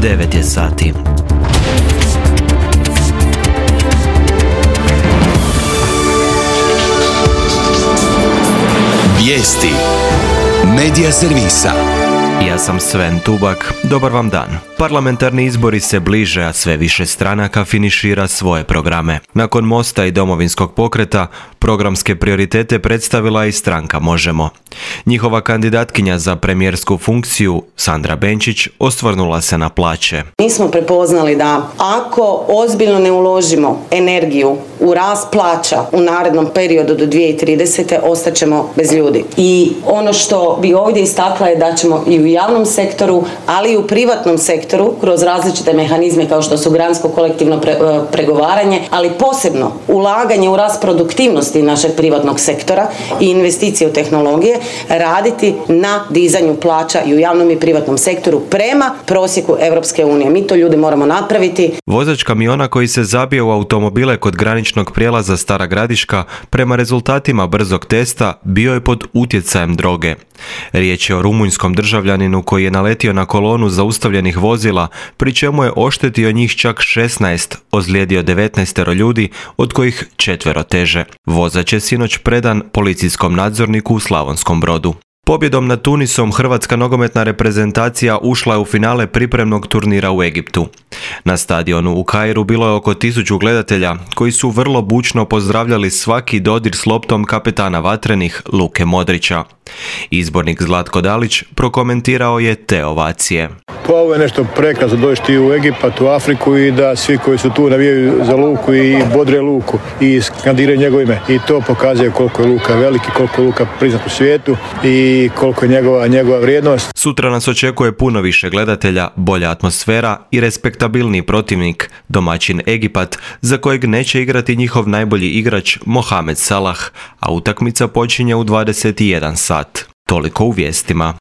9 je sati. Vijesti Medija servisa. Ja sam Sven Tubak, dobar vam dan. Parlamentarni izbori se bliže, a sve više stranaka finišira svoje programe. Nakon Mosta i Domovinskog pokreta, programske prioritete predstavila i stranka Možemo. Njihova kandidatkinja za premijersku funkciju, Sandra Benčić, osvrnula se na plaće. Mi smo prepoznali da ako ozbiljno ne uložimo energiju u rast plaća u narednom periodu do 2030. ostaćemo bez ljudi. I ono što bi ovdje istakla je da ćemo i u javnom sektoru, ali i u privatnom sektoru, kroz različite mehanizme kao što su gransko kolektivno pregovaranje, ali posebno ulaganje u rast produktivnosti našeg privatnog sektora i investicije u tehnologije, raditi na dizanju plaća i u javnom i privatnom sektoru prema prosjeku Europske unije. Mi to ljudi moramo napraviti. Vozač kamiona koji se zabije u automobile kod graničnog prijelaza Stara Gradiška prema rezultatima brzog testa bio je pod utjecajem droge. Riječ je o rumunjskom državljaninu koji je naletio na kolonu zaustavljenih vozila, pri čemu je oštetio njih čak 16, ozlijedio 19 ljudi, od kojih 4 teže. Vozač je sinoć predan policijskom nadzorniku u Slavonskom Brodu. Pobjedom nad Tunisom hrvatska nogometna reprezentacija ušla je u finale pripremnog turnira u Egiptu. Na stadionu u Kairu bilo je oko 1000 gledatelja koji su vrlo bučno pozdravljali svaki dodir s loptom kapetana vatrenih Luke Modrića. Izbornik Zlatko Dalić prokomentirao je te ovacije. Pa ovo je nešto prekrasno doći u Egipat, u Afriku i da svi koji su tu navijaju za Luku i bodre Luku i skandiraju njegovo ime. I to pokazuje koliko je Luka veliki, koliko je Luka priznat u svijetu i koliko je njegova vrijednost. Sutra nas očekuje puno više gledatelja, bolja atmosfera i respektabilni protivnik, domaćin Egipat, za kojeg neće igrati njihov najbolji igrač Mohamed Salah, a utakmica počinje u 21 sat. Toliko u vijestima.